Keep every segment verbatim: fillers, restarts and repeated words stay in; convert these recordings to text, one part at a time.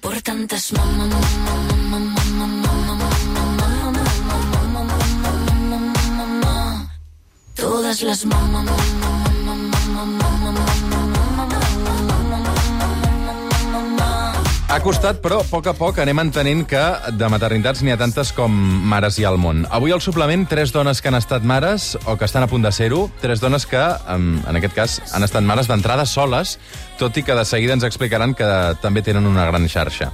por tantas mamá, mamá, mamá, mamá, mamá, mamá, mamá, mamá, todas las mamá, mamá, mamá, mamá, mamá, Ha costat, però a poc a poc anem entenent que de maternitats n'hi ha tantes com mares hi ha al món. Avui al suplement, tres dones que han estat mares o que estan a punt de ser-ho, tres dones que, en aquest cas, han estat mares d'entrada soles, tot i que de seguida ens explicaran que també tenen una gran xarxa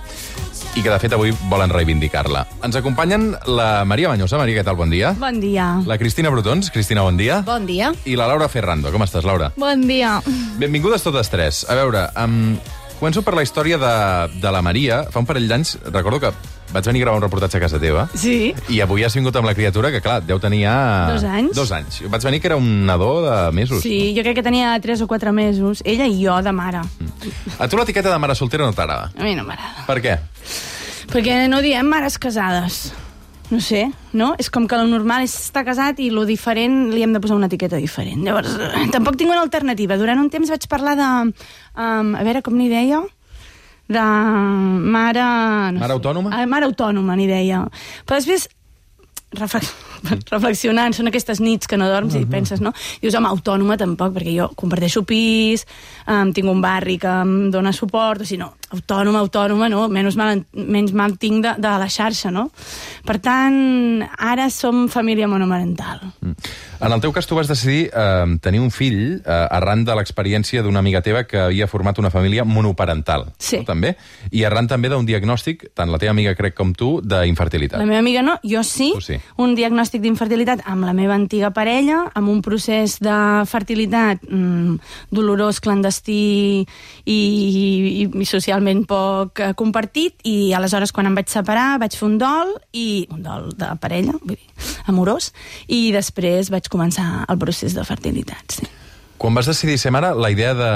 i que, de fet, avui volen reivindicar-la. Ens acompanyen la Maria Bañosa. Maria, què tal? Bon dia. Bon dia. La Cristina Brotons. Cristina, bon dia. Bon dia. I la Laura Ferrando. Com estàs, Laura? Bon dia. Benvingudes totes tres. A veure, um, començo per la història de, de la Maria. Fa un parell d'anys, recordo que vaig venir a gravar un reportatge a casa teva. Sí. I avui has vingut amb la criatura, que clar, deu tenir ja... Dos anys. Dos anys. Vaig venir que era un nadó de mesos. Sí, jo crec que tenia tres o quatre mesos. Ella i jo, de mare. A tu l'etiqueta de mare soltera no t'agrada? A mi no m'agrada. Per què? Perquè no diem mares casades. No sé, no? És com que el normal és estar casat i lo diferent li hem de posar una etiqueta diferent. Llavors, tampoc tinc una alternativa. Durant un temps vaig parlar de... Um, a veure, com n'hi deia? De mare... No mare sé. autònoma? Ah, mare autònoma, n'hi deia. Però després, reflex... reflexionant, són aquestes nits que no dorms uh -huh. i penses, no? I dius, home, autònoma tampoc, perquè jo comparteixo pis, um, tinc un barri que em dona suport, o sigui, no, autònoma, autònoma, no? Menys mal, menys mal tinc de, de la xarxa, no? Per tant, ara som família monomarental. Mm. En el teu cas, tu vas decidir eh, tenir un fill eh, arran de l'experiència d'una amiga teva que havia format una família monoparental. Sí. No, també? I arran també d'un diagnòstic, tant la teva amiga, crec, com tu, d'infertilitat. La meva amiga no, jo sí. Tu sí. Un diagnòstic d'infertilitat amb la meva antiga parella, amb un procés de fertilitat mmm, dolorós, clandestí i, i, i socialment poc eh, compartit, i aleshores quan em vaig separar vaig fer un dol, i un dol de parella, vull dir, amorós, i després vaig començar el procés de fertilitat, sí. Quan vas decidir ser mare, la idea de...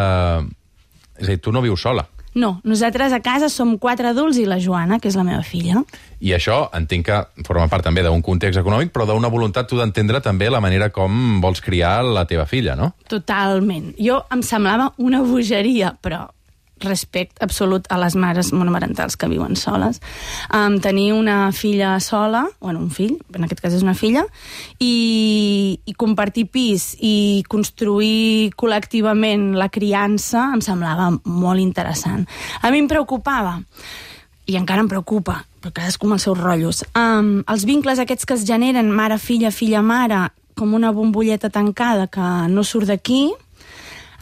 És a dir, tu no vius sola. No, nosaltres a casa som quatre adults i la Joana, que és la meva filla. I això entenc que forma part també d'un context econòmic, però d'una voluntat tu d'entendre també la manera com vols criar la teva filla, no? Totalment. Jo em semblava una bogeria, però respecte absolut a les mares monomarentals que viuen soles. Um, tenir una filla sola, bueno, un fill, en aquest cas és una filla, i, i compartir pis i construir col·lectivament la criança em semblava molt interessant. A mi em preocupava, i encara em preocupa, però cadascú amb els seus rotllos, um, els vincles aquests que es generen mare-filla, filla-mare, com una bombolleta tancada que no surt d'aquí.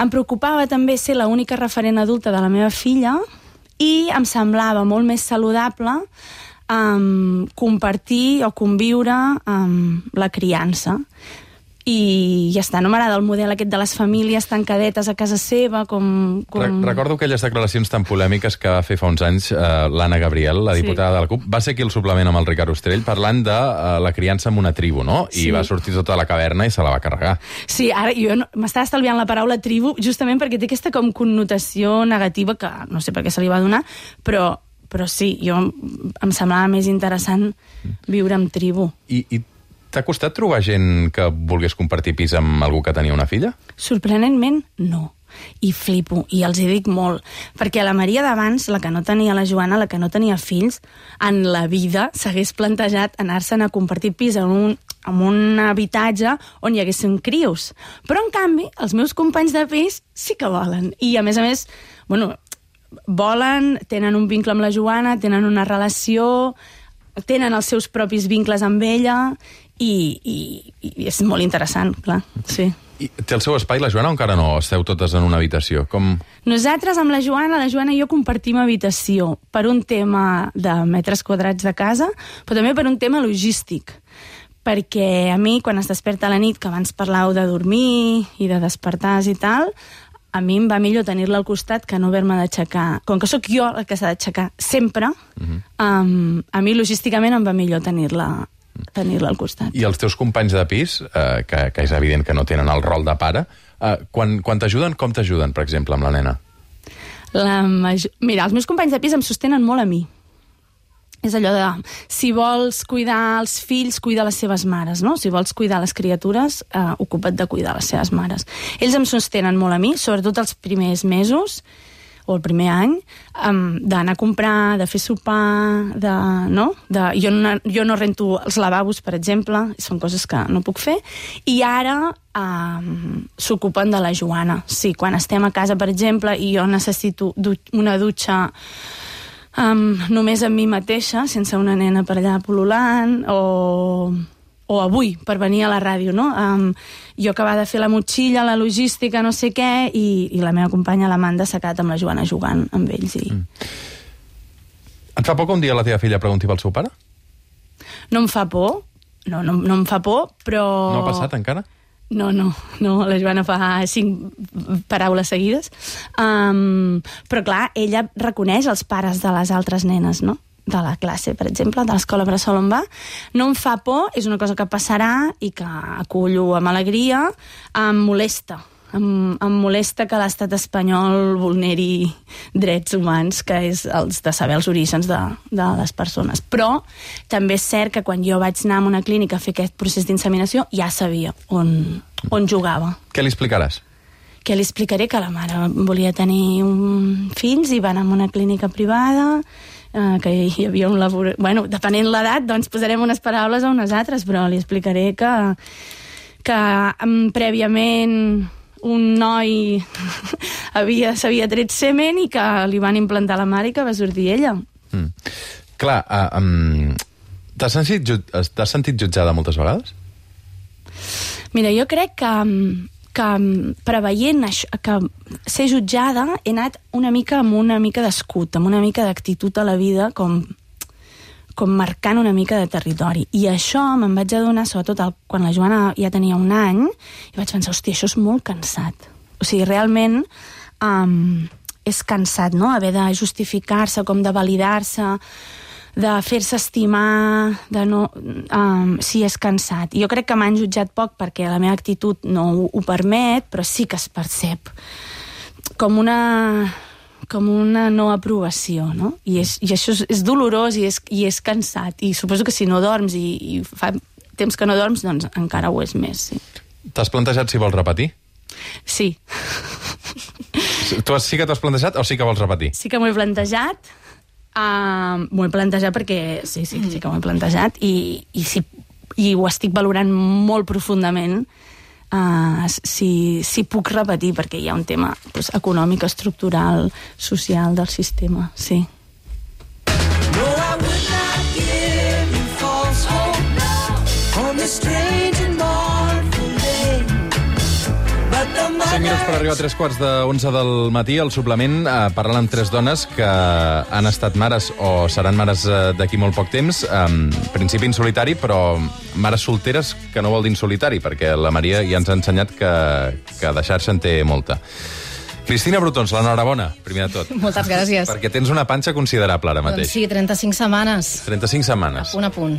Em preocupava també ser l'única referent adulta de la meva filla i em semblava molt més saludable um, compartir o conviure amb la criança. I ja està, no m'agrada el model aquest de les famílies tancadetes a casa seva, com... com... Re recordo aquelles declaracions tan polèmiques que va fer fa uns anys eh, l'Anna Gabriel, la diputada sí. de la CUP. Va ser aquí el suplement amb el Ricard Ostrell parlant de uh, la criança en una tribu, no? I sí. va sortir tota la caverna i se la va carregar. Sí, ara jo no, m'estava estalviant la paraula tribu justament perquè té aquesta com connotació negativa que no sé per què se li va donar, però, però sí, jo em semblava més interessant viure en tribu. I, i t'ha costat trobar gent que volgués compartir pis amb algú que tenia una filla? Sorprenentment, no. I flipo, i els hi dic molt. Perquè la Maria d'abans, la que no tenia la Joana, la que no tenia fills, en la vida s'hagués plantejat anar-se'n a compartir pis en un, en un habitatge on hi haguessin crios. Però, en canvi, els meus companys de pis sí que volen. I, a més a més, bueno, volen, tenen un vincle amb la Joana, tenen una relació, tenen els seus propis vincles amb ella, i, i, i és molt interessant, clar, sí. I té el seu espai, la Joana, o encara no? Esteu totes en una habitació? Com... Nosaltres, amb la Joana, la Joana i jo compartim habitació per un tema de metres quadrats de casa, però també per un tema logístic. Perquè a mi, quan es desperta a la nit, que abans parlàveu de dormir i de despertar i tal, a mi em va millor tenir-la al costat que no haver-me d'aixecar. Com que sóc jo la que s'ha d'aixecar sempre, uh-huh. um, a mi logísticament em va millor tenir-la tenir-la al costat. I els teus companys de pis, eh, que, que és evident que no tenen el rol de pare, eh, quan, quan t'ajuden, com t'ajuden, per exemple, amb la nena? La major... Mira, els meus companys de pis em sostenen molt a mi. És allò de, si vols cuidar els fills, cuida les seves mares, no? Si vols cuidar les criatures, eh, ocupa't de cuidar les seves mares. Ells em sostenen molt a mi, sobretot els primers mesos, o el primer any, um, d'anar a comprar, de fer sopar, de, no? De, jo, no, jo no rento els lavabos, per exemple, són coses que no puc fer, i ara um, s'ocupen de la Joana. Sí, quan estem a casa, per exemple, i jo necessito du- una dutxa um, només amb mi mateixa, sense una nena per allà pol·lulant, o... o avui, per venir a la ràdio, no? Um, jo acabava de fer la motxilla, la logística, no sé què, i, i la meva companya, l'Amanda, s'ha quedat amb la Joana jugant amb ells. I... Mm. Et fa por que un dia la teva filla pregunti pel seu pare? No em fa por, no, no, no em fa por, però... No ha passat encara? No, no, no, la Joana fa cinc paraules seguides. Um, però clar, ella reconeix els pares de les altres nenes, no? De la classe, per exemple, de l'escola bressol on va. No em fa por, és una cosa que passarà i que acullo amb alegria. Em molesta. Em, em molesta que l'estat espanyol vulneri drets humans, que és els de saber els orígens de, de les persones. Però també és cert que quan jo vaig anar a una clínica a fer aquest procés d'inseminació ja sabia on, on jugava. Què li explicaràs? Que li explicaré que la mare volia tenir un fills i va anar a una clínica privada, Uh, que hi havia un labor... Bueno, depenent l'edat, doncs posarem unes paraules o unes altres, però li explicaré que, que um, prèviament un noi havia, s'havia tret semen i que li van implantar la mare i que va sortir ella. Mm. Clar, uh, um, t'has sentit, jut... t'has sentit jutjada moltes vegades? Mira, jo crec que... que preveient això, que ser jutjada he anat una mica amb una mica d'escut, amb una mica d'actitud a la vida, com, com marcant una mica de territori. I això me'n vaig adonar, sobretot el, quan la Joana ja tenia un any, i vaig pensar, hòstia, això és molt cansat. O sigui, realment um, és cansat, no?, haver de justificar-se, com de validar-se, de fer-se estimar, de no... Um, sí, és cansat. I jo crec que m'han jutjat poc perquè la meva actitud no ho, ho permet, però sí que es percep com una, com una no aprovació, no? I, és, i això és, és dolorós i és, i és cansat. I suposo que si no dorms i, i fa temps que no dorms, doncs encara ho és més, sí. T'has plantejat si vols repetir? Sí. Tu sí que t'has plantejat o sí que vols repetir? Sí que m'ho he plantejat. Uh, m'ho he plantejat perquè sí, sí, sí que m'ho he plantejat i, i, si, i ho estic valorant molt profundament uh, si, si puc repetir, perquè hi ha un tema pues, econòmic, estructural, social del sistema, sí. No, I would not give you false hope on this strange and mournful day. But the cinc minuts per arribar a tres quarts d'onze del matí. Al suplement eh, parlant amb tres dones que han estat mares o seran mares eh, d'aquí molt poc temps. En principi en solitari, però mares solteres, que no vol dir en solitari, perquè la Maria ja ens ha ensenyat que, que deixar-se en té molta. Cristina Brutons, l'enhorabona, primer de tot. Moltes gràcies. Perquè tens una panxa considerable ara mateix. Doncs sí, trenta-cinc setmanes. trenta-cinc setmanes. A punt a punt.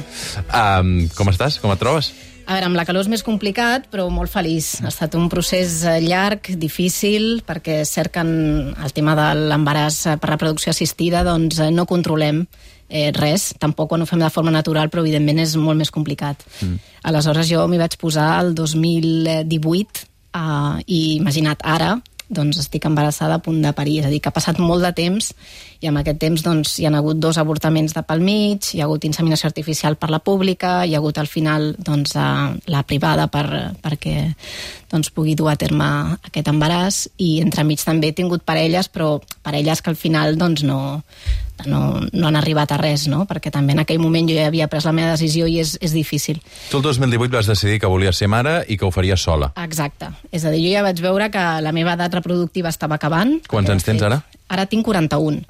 Um, com estàs? Com et trobes? A veure, amb la calor és més complicat, però molt feliç. Ha estat un procés llarg, difícil, perquè cerquen el tema de l'embaràs per reproducció assistida, doncs no controlem eh, res, tampoc quan ho fem de forma natural, però evidentment és molt més complicat. Mm. Aleshores jo m'hi vaig posar el dos mil divuit eh, i imagina't ara, doncs estic embarassada a punt de parir, és a dir, que ha passat molt de temps i en aquest temps doncs, hi ha hagut dos avortaments de pel mig, hi ha hagut inseminació artificial per la pública, hi ha hagut al final doncs, la privada per, perquè doncs, pugui dur a terme aquest embaràs i entremig també he tingut parelles, però parelles que al final doncs, no, no, no han arribat a res, no? Perquè també en aquell moment jo ja havia pres la meva decisió i és, és difícil. Tu el dos mil divuit vas decidir que volies ser mare i que ho faries sola. Exacte. És a dir, jo ja vaig veure que la meva edat reproductiva estava acabant. Quants anys tens ara? Ara tinc quaranta-un,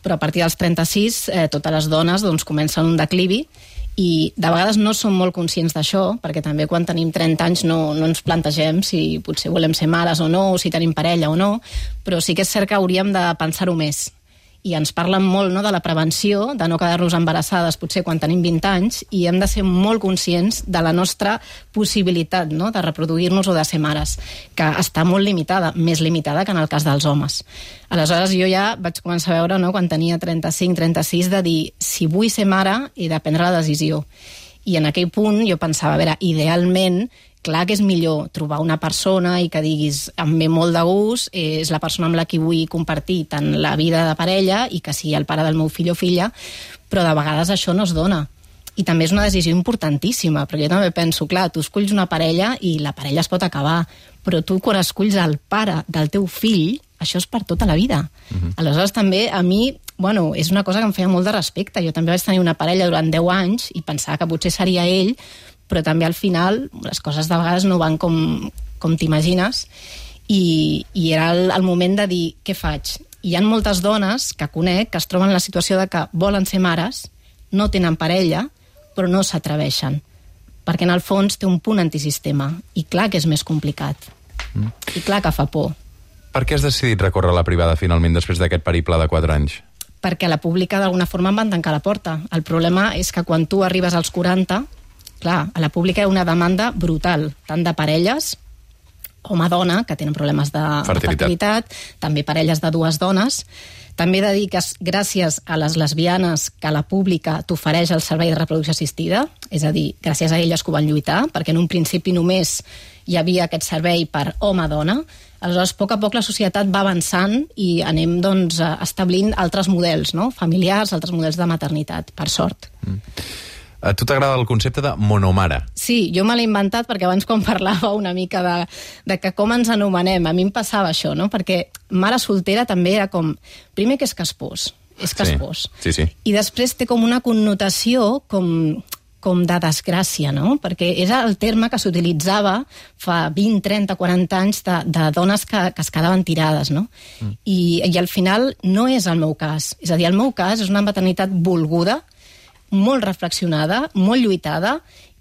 però a partir dels trenta-sis eh, totes les dones doncs, comencen un declivi i de vegades no som molt conscients d'això, perquè també quan tenim trenta anys no, no ens plantegem si potser volem ser mares o no, o si tenim parella o no, però sí que és cert que hauríem de pensar-ho més. I ens parlen molt, no, de la prevenció, de no quedar-nos embarassades potser quan tenim vint anys, i hem de ser molt conscients de la nostra possibilitat, no, de reproduir-nos o de ser mares, que està molt limitada, més limitada que en el cas dels homes. Aleshores jo ja vaig començar a veure, no, quan tenia trenta-cinc trenta-sis, de dir si vull ser mare he de prendre la decisió. I en aquell punt jo pensava, a veure, idealment, clar que és millor trobar una persona i que diguis, em ve molt de gust, és la persona amb la que vull compartir tant la vida de parella i que sigui el pare del meu fill o filla, però de vegades això no es dona. I també és una decisió importantíssima, perquè jo també penso, clar, tu esculls una parella i la parella es pot acabar, però tu quan esculls el pare del teu fill, això és per tota la vida. Uh-huh. Aleshores també a mi, bueno, és una cosa que em feia molt de respecte. Jo també vaig tenir una parella durant deu anys i pensava que potser seria ell, però també al final les coses de vegades no van com, com t'imagines i, i era el, el moment de dir, què faig? Hi ha moltes dones que conec que es troben en la situació de que volen ser mares, no tenen parella, però no s'atreveixen, perquè en el fons té un punt antisistema, i clar que és més complicat, mm. i clar que fa por. Per què has decidit recórrer a la privada finalment després d'aquest periple de quatre anys? Perquè a la pública d'alguna forma em van tancar la porta. El problema és que quan tu arribes als quaranta, clar, a la pública hi ha una demanda brutal, tant de parelles, home-dona, que tenen problemes de fertilitat. fertilitat, també parelles de dues dones. També he de dir que gràcies a les lesbianes que la pública t'ofereix el servei de reproducció assistida, és a dir, gràcies a elles que ho van lluitar, perquè en un principi només hi havia aquest servei per home-dona, aleshores a poc a poc la societat va avançant i anem doncs, establint altres models, no? Familiars, altres models de maternitat, per sort. Mm. A tu t'agrada el concepte de monomare? Sí, jo me l'he inventat perquè abans quan parlava una mica de, de que com ens anomenem, a mi em passava això, no? Perquè mare soltera també era com, primer que és caspós, és caspós. Sí, sí, sí. I després té com una connotació com, com de desgràcia, no? Perquè era el terme que s'utilitzava fa vint, trenta, quaranta anys de, de dones que, que es quedaven tirades, no? Mm. I, I al final no és el meu cas. És a dir, el meu cas és una maternitat volguda, molt reflexionada, molt lluitada,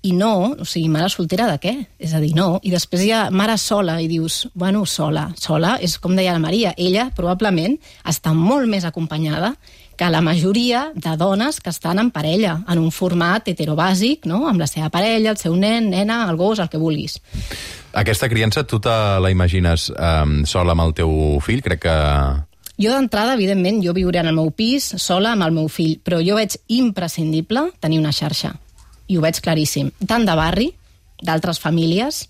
i no, o sigui, mare soltera de què? És a dir, no. I després hi ha mare sola, i dius, bueno, sola. Sola és, com deia la Maria, ella probablement està molt més acompanyada que la majoria de dones que estan en parella, en un format heterobàsic, no? Amb la seva parella, el seu nen, nena, el gos, el que vulguis. Aquesta criança, tu te la imagines eh, sola amb el teu fill? Crec que... Jo d'entrada, evidentment, jo viuré en el meu pis, sola amb el meu fill, però jo veig imprescindible tenir una xarxa. I ho veig claríssim. Tant de barri, d'altres famílies,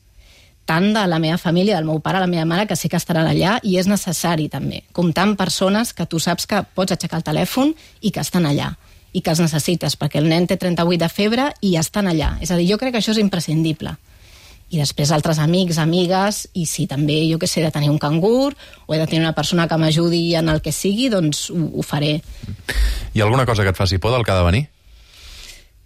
tant de la meva família, del meu pare, la meva mare, que sé que estaran allà, i és necessari també, comptar amb persones que tu saps que pots aixecar el telèfon i que estan allà, i que els necessites, perquè el nen té trenta-vuit de febre i estan allà. És a dir, jo crec que això és imprescindible. I després altres amics, amigues, i si també, jo que sé, he de tenir un cangur o he de tenir una persona que m'ajudi en el que sigui, doncs ho, ho faré. Hi ha alguna cosa que et faci por del que ha de venir?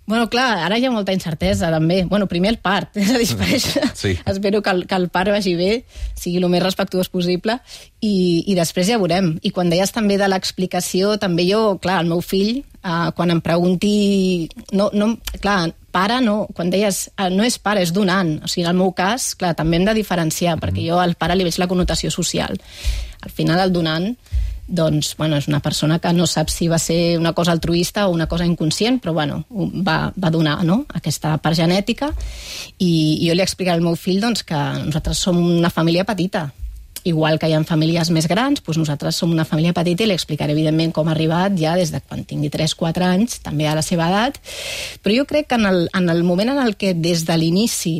Bueno, clar, ara hi ha molta incertesa, també. Bueno, primer el part, és a dir, per això sí. Espero que el, que el part vagi bé, sigui el més respectuós possible, i, i després ja veurem. I quan deies també de l'explicació, també jo, clar, el meu fill, eh, quan em pregunti... No, no, clar, pare no, quan deies eh, no és pare, és donant. O sigui, en el meu cas, clar, també hem de diferenciar, mm. perquè jo al pare li veig la connotació social. Al final, el donant, doncs, bueno, és una persona que no sap si va ser una cosa altruista o una cosa inconscient, però, bueno, va, va donar, no?, aquesta part genètica, i, i jo li explicaré al meu fill, doncs, que nosaltres som una família petita. Igual que hi ha famílies més grans, doncs nosaltres som una família petita, i li explicaré, evidentment, com ha arribat ja des de quan tingui tres quatre anys, també a la seva edat, però jo crec que en el, en el moment en el que des de l'inici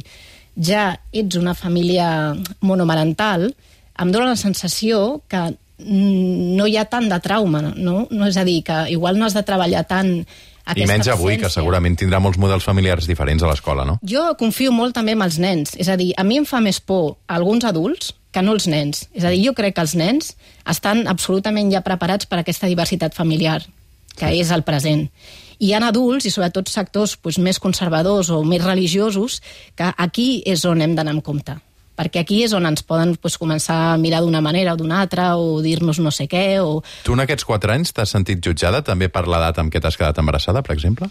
ja ets una família monomarental, em dóna la sensació que no hi ha tant de trauma, no? No, és a dir, que igual no has de treballar tant aquesta I menys avui, absència. Que segurament tindrà molts models familiars diferents a l'escola, no? Jo confio molt també en els nens. És a dir, a mi em fa més por alguns adults que no els nens. És a dir, jo crec que els nens estan absolutament ja preparats per a aquesta diversitat familiar, que sí. És el present. Hi ha adults, i sobretot sectors doncs, més conservadors o més religiosos, que aquí és on hem d'anar amb compte. Perquè aquí és on ens poden doncs, començar a mirar d'una manera o d'una altra, o dir-nos no sé què, o... Tu en aquests quatre anys t'has sentit jutjada també per l'edat amb què t'has quedat embarassada, per exemple?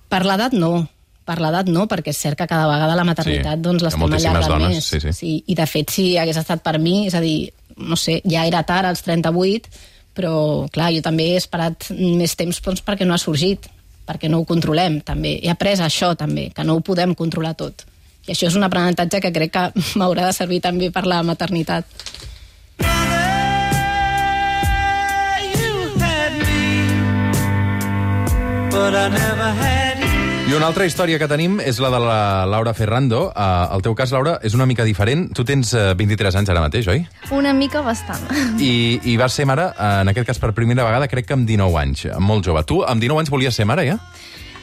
Per l'edat no. Per l'edat no, perquè és cert que cada vegada la maternitat sí, doncs, l'estem allargant més. Sí, sí. Sí, i de fet, si hagués estat per mi, és a dir, no sé, ja era tard als trenta-vuit, però clar, jo també he esperat més temps doncs, perquè no ha sorgit, perquè no ho controlem, també. He après això, també, que no ho podem controlar tot. I això és un aprenentatge que crec que m'haurà de servir també per la maternitat. But I never had you. I una altra història que tenim és la de la Laura Ferrando. Uh, el teu cas, Laura, és una mica diferent. Tu tens uh, vint-i-tres anys ara mateix, oi? Una mica bastant. I, i vas ser mare, uh, en aquest cas per primera vegada, crec que amb dinou anys, molt jove. Tu amb dinou anys volies ser mare, ja?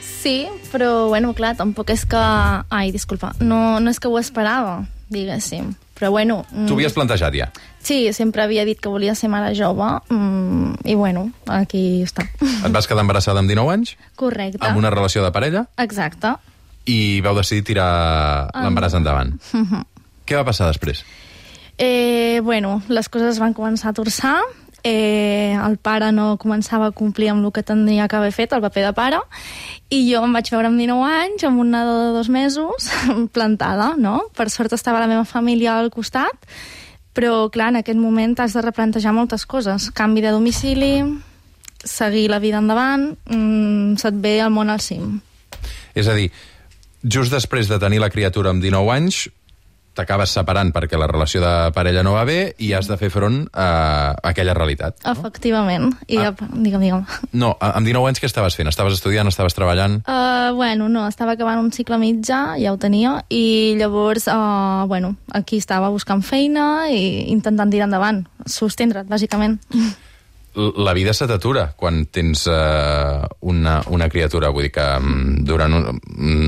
Sí, però, bueno, clar, tampoc és que... Ai, disculpa, no, no és que ho esperava, diguéssim. Però, bueno... Tu havies plantejat, ja? Sí, sempre havia dit que volia ser mare jove, mm, i, bueno, aquí està. Et vas quedar embarassada amb dinou anys? Correcte. Amb una relació de parella? Exacte. I vau decidir tirar l'embaràs endavant. Uh-huh. Què va passar després? Eh, bueno, les coses van començar a torçar. Eh, el pare no començava a complir amb el que tindria que haver fet, el paper de pare, i jo em vaig veure amb dinou anys, amb un nadó de dos mesos, plantada, no? Per sort estava la meva família al costat, però, clar, en aquest moment t'has de replantejar moltes coses. Canvi de domicili, seguir la vida endavant, mmm, se't ve el món al cim. És a dir, just després de tenir la criatura amb dinou anys, t'acabes separant perquè la relació de parella no va bé i has de fer front a aquella realitat. No? Efectivament. I Ah. ja, digue'm, digue'm. No, amb dinou anys què estaves fent? Estaves estudiant, estaves treballant? Uh, bueno, no, estava acabant un cicle mitjà, ja ho tenia, i llavors, uh, bueno, aquí estava buscant feina i intentant tirar endavant, sostendre't, bàsicament. La vida se t'atura quan tens uh, una, una criatura. Vull dir que um, durant un,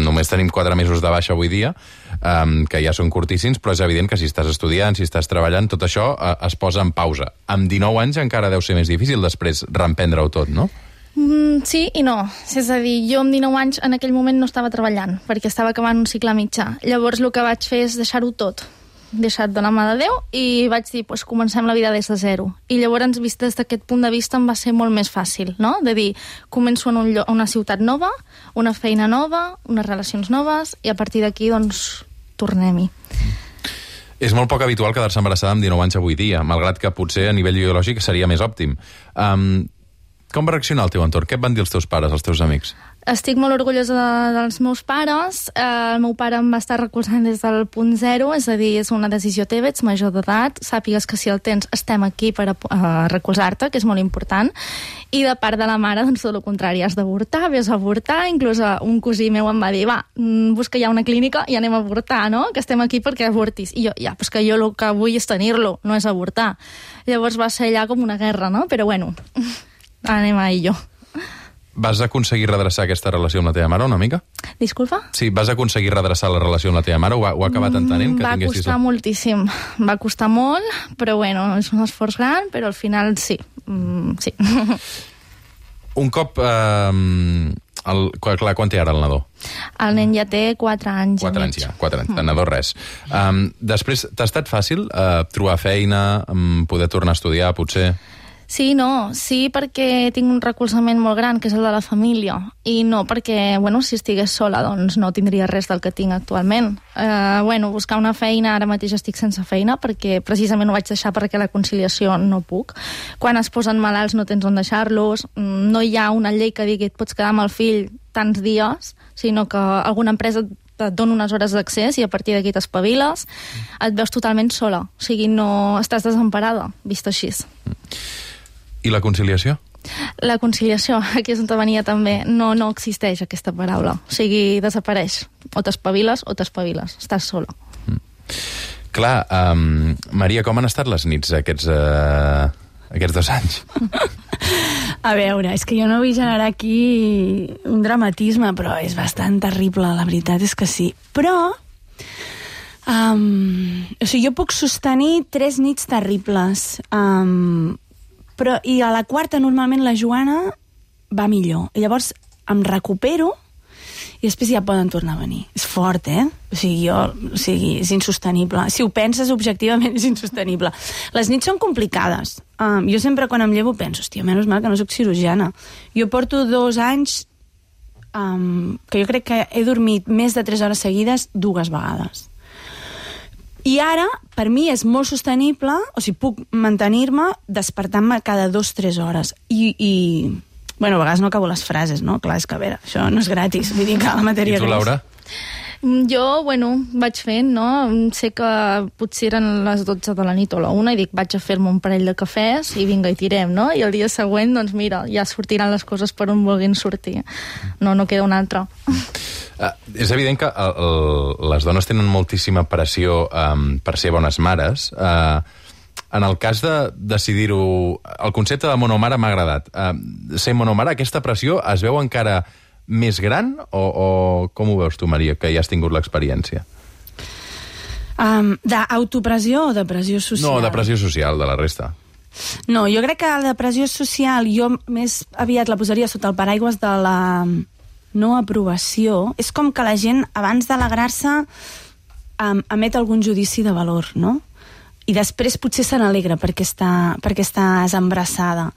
només tenim quatre mesos de baixa avui dia, um, que ja són curtíssims, però és evident que si estàs estudiant, si estàs treballant, tot això uh, es posa en pausa. Amb dinou anys encara deu ser més difícil després reemprendre-ho tot, no? Mm, sí i no. És a dir, jo amb dinou anys en aquell moment no estava treballant, perquè estava acabant un cicle mitjà. Llavors el que vaig fer és deixar-ho tot. Deixat de la mà de Déu, i vaig dir, pues, comencem la vida des de zero. I llavors, vist des d'aquest punt de vista, em va ser molt més fàcil, no? De dir, començo en un lloc, una ciutat nova, una feina nova, unes relacions noves, i a partir d'aquí, doncs, tornem-hi. És molt poc habitual quedar-se embarassada amb dinou anys avui dia, malgrat que potser a nivell biològic seria més òptim. Um, com va reaccionar el teu entorn? Què et van dir els teus pares, els teus amics? Estic molt orgullosa de, dels meus pares. Eh, el meu pare em va estar recolzant des del punt zero, és a dir, és una decisió teva, ets major d'edat, sàpigues que si el tens estem aquí per a, a recolzar-te, que és molt important. I de part de la mare, doncs, tot el contrari, has d'avortar, vés a avortar, inclús un cosí meu em va dir, va, busca ja una clínica i anem a avortar, no?, que estem aquí perquè avortis. I jo, ja, pues que jo el que vull és tenir-lo, no és avortar. Llavors va ser allà com una guerra, no?, però bueno, anem a ello. Vas aconseguir redreçar aquesta relació amb la teva mare una mica? Disculpa? Sí, vas aconseguir redreçar la relació amb la teva mare? Ho ha, ho ha acabat entenent? Que va tinguessis... costar moltíssim. Va costar molt, però bueno, és un esforç gran, però al final sí. Mm, sí. Un cop... Eh, el, clar, quan té ara el nadó? El nen ja té quatre anys. Quatre anys ja, quatre anys. El nadó res. Um, després, t'ha estat fàcil uh, trobar feina, um, poder tornar a estudiar, potser... Sí, no, sí perquè tinc un recolzament molt gran, que és el de la família, i no perquè, bueno, si estigués sola, doncs no tindria res del que tinc actualment. Eh, bueno, buscar una feina, ara mateix estic sense feina, perquè precisament ho vaig deixar perquè la conciliació no puc. Quan es posen malalts no tens on deixar-los, no hi ha una llei que digui et pots quedar amb el fill tants dies, sinó que alguna empresa et dona unes hores d'accés i a partir d'aquí t'espaviles, et veus totalment sola, o sigui, no estàs desemparada, vist així. I la conciliació? La conciliació, aquí és on venia també, no, no existeix aquesta paraula. O sigui, desapareix. O t'espaviles o t'espaviles. Estàs sola. Mm. Clar, um, Maria, com han estat les nits aquests, uh, aquests dos anys? A veure, és que jo no vull generar aquí un dramatisme, però és bastant terrible, la veritat és que sí. Però... Um, o sigui, jo puc sostenir tres nits terribles. Um, però, i a la quarta normalment la Joana va millor, i llavors em recupero i després ja poden tornar a venir. És fort, eh? O sigui, jo, o sigui, és insostenible. Si ho penses objectivament és insostenible. Les nits són complicades. Um, jo sempre quan em llevo penso, hòstia, menys mal que no soc cirurgiana. Jo porto dos anys um, que jo crec que he dormit més de tres hores seguides dues vegades. I ara, per mi, és molt sostenible, o sigui, puc mantenir-me despertant-me cada dues o tres hores. I, i, bueno, a vegades no acabo les frases, no? Clar, és que, a veure, això no és gratis, vull dir que la matèria... I tu, Laura? Jo, bueno, vaig fent, no? Sé que potser eren les dotze de la nit o la una i dic, vaig a fer-me un parell de cafès i vinga, i tirem, no? I el dia següent, doncs mira, ja sortiran les coses per on vulguin sortir. No, no queda un altre. Uh, és evident que el, el, les dones tenen moltíssima pressió um, per ser bones mares. Uh, en el cas de decidir-ho... El concepte de monomare m'ha agradat. Uh, ser monomare, aquesta pressió es veu encara més gran o, o com ho veus tu, Maria, que ja has tingut l'experiència? Um, d'autopressió o de pressió social? No, de pressió social, de la resta. No, jo crec que la pressió social jo més aviat la posaria sota el paraigües de la no aprovació. És com que la gent, abans d'alegrar-se, um, emet algun judici de valor, no? I després potser se n'alegra perquè, està, perquè estàs embarassada.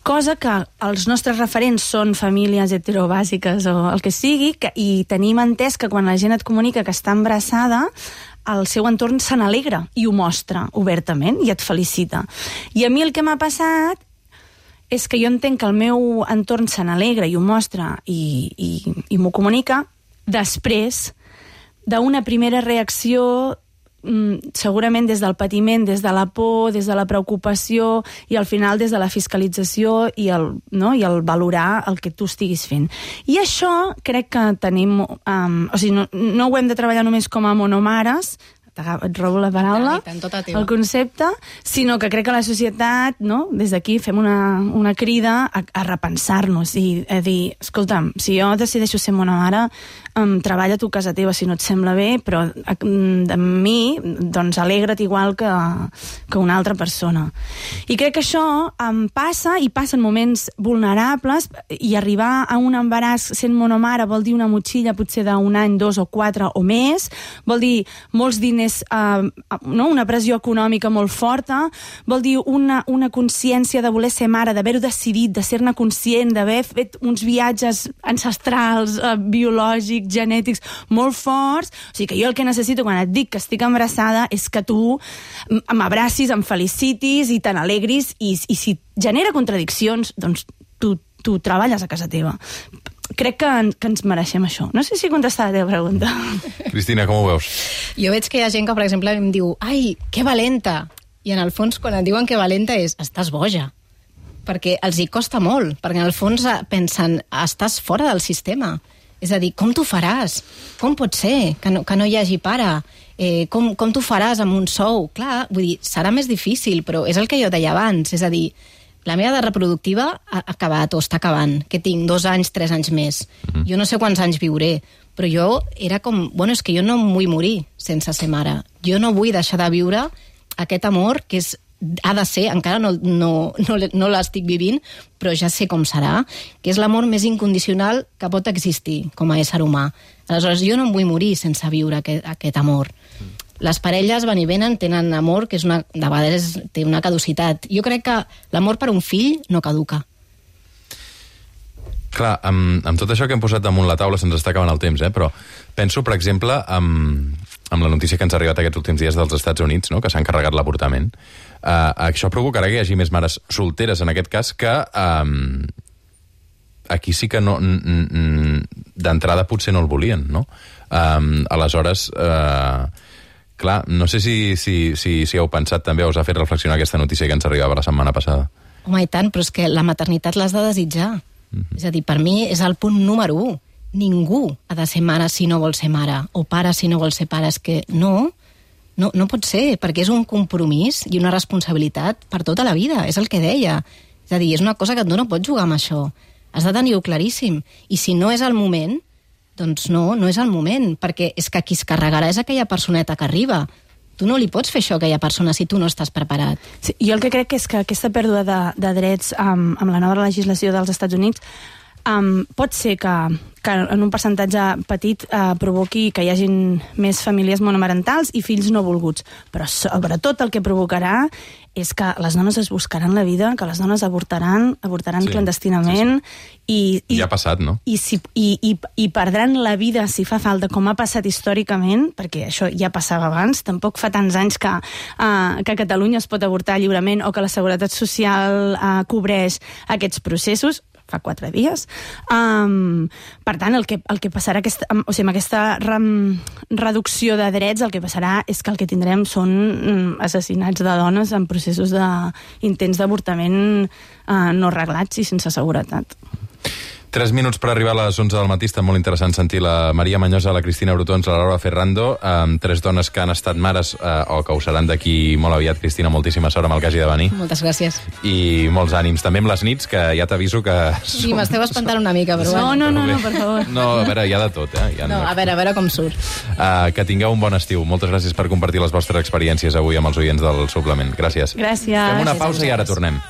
Cosa que els nostres referents són famílies heterobàsiques o el que sigui, que, i tenim entès que quan la gent et comunica que està embarassada, el seu entorn se n'alegra i ho mostra obertament i et felicita. I a mi el que m'ha passat és que jo entenc que el meu entorn se n'alegra i ho mostra i, i, i m'ho comunica després d'una primera reacció segurament des del patiment, des de la por, des de la preocupació i al final des de la fiscalització i el, no? I el valorar el que tu estiguis fent. I això crec que tenim... Um, o sigui, no, no ho hem de treballar només com a monomares, et robo la paraula, tant, tota teva. el concepte, sinó que crec que la societat, no? Des d'aquí fem una, una crida a, a repensar-nos i a dir, escolta'm, si jo decideixo ser monomare, um, treballa tu a casa teva si no et sembla bé, però de mi, doncs alegra't igual que, que una altra persona. I crec que això um, passa, i passa en moments vulnerables, i arribar a un embaràs sent monomare vol dir una motxilla potser d'un any, dos o quatre o més, vol dir molts diners Uh, no? Una pressió econòmica molt forta, vol dir una, una consciència de voler ser mare, d'haver-ho decidit, de ser-ne conscient, d'haver fet uns viatges ancestrals, uh, biològics, genètics, molt forts. O sigui que jo el que necessito quan et dic que estic embarassada és que tu m'abracis, em felicitis i te n'alegris, i, i si genera contradiccions, doncs tu, tu treballes a casa teva. Crec que, que ens mereixem això. No sé si contestar la teva pregunta. Cristina, com ho veus? Jo veig que hi ha gent que, per exemple, em diu ai, que valenta! I en el fons, quan et diuen que valenta és estàs boja. Perquè els hi costa molt. Perquè en el fons pensen estàs fora del sistema. És a dir, com t'ho faràs? Com pot ser que no, que no hi hagi pare? Eh, com com t'ho faràs amb un sou? Clar, vull dir, serà més difícil, però és el que jo deia abans. És a dir, la meva edat reproductiva ha acabat o està acabant, que tinc dos anys, tres anys més. Mm-hmm. Jo no sé quants anys viuré, però jo era com... Bueno, és que jo no em vull morir sense ser mare. Jo no vull deixar de viure aquest amor que és, ha de ser, encara no, no, no, no l'estic vivint, però ja sé com serà, que és l'amor més incondicional que pot existir com a ésser humà. Aleshores, jo no em vull morir sense viure aquest, aquest amor. Mm. Les parelles van i venen, tenen amor, que és una, de vegades té una caducitat. Jo crec que l'amor per un fill no caduca. Clar, amb, amb tot això que hem posat damunt la taula se'ns està acabant el temps, eh? Però penso, per exemple, amb, amb la notícia que ens ha arribat aquests últims dies dels Estats Units, no? Que s'han carregat l'avortament. Uh, això provocarà que hi hagi més mares solteres, en aquest cas, que um, aquí sí que no, d'entrada potser no el volien, no? Um, aleshores... Uh, Clar, no sé si, si, si, si heu pensat també o us ha fet reflexionar aquesta notícia que ens arribava la setmana passada. Home, i tant, però és que la maternitat l'has de desitjar. Mm-hmm. És a dir, per mi és el punt número u. Ningú ha de ser mare si no vol ser mare, o pare si no vol ser pare. És que no, no, no pot ser, perquè és un compromís i una responsabilitat per tota la vida. És el que deia. És a dir, és una cosa que tu no pots jugar amb això. Has de tenir-ho claríssim. I si no és el moment... doncs no, no és el moment, perquè és que qui es carregarà és aquella personeta que arriba. Tu no li pots fer això a aquella persona si tu no estàs preparat. Sí, jo el que crec és que aquesta pèrdua de, de drets um, amb la nova legislació dels Estats Units um, pot ser que, que en un percentatge petit uh, provoqui que hi hagin més famílies monomarentals i fills no volguts. Però sobretot el que provocarà és que les dones es buscaran la vida, que les dones avortaran, avortaran sí, clandestinament, sí, sí. I, i... Ja ha passat, no? I, si, i, i, I perdran la vida si fa falta, com ha passat històricament, perquè això ja passava abans, tampoc fa tants anys que, uh, que a Catalunya es pot avortar lliurement o que la Seguretat Social uh, cobreix aquests processos. fa quatre dies. Um, per tant, el que, el que passarà aquesta, o sigui, amb aquesta re, reducció de drets, el que passarà és que el que tindrem són um, assassinats de dones en processos d'intents d'avortament uh, no reglats i sense seguretat. Tres minuts per arribar a les onze del matí. Està molt interessant sentir la Maria Manyosa, la Cristina Brutons, la Laura Ferrando, amb tres dones que han estat mares eh, o que ho seran d'aquí molt aviat. Cristina, moltíssima sort amb el que hagi de venir. Moltes gràcies. I molts ànims. També amb les nits, que ja t'aviso que... Sí, m'esteu espantant una mica, però No, bueno. no, no, no, per favor. No, a veure, hi ha de tot, eh? Hi ha... No, a veure, a veure com surt. Uh, que tingueu un bon estiu. Moltes gràcies per compartir les vostres experiències avui amb els oients del suplement. Gràcies. Gràcies. Fem una Gràcies a pausa i ara vosaltres. tornem.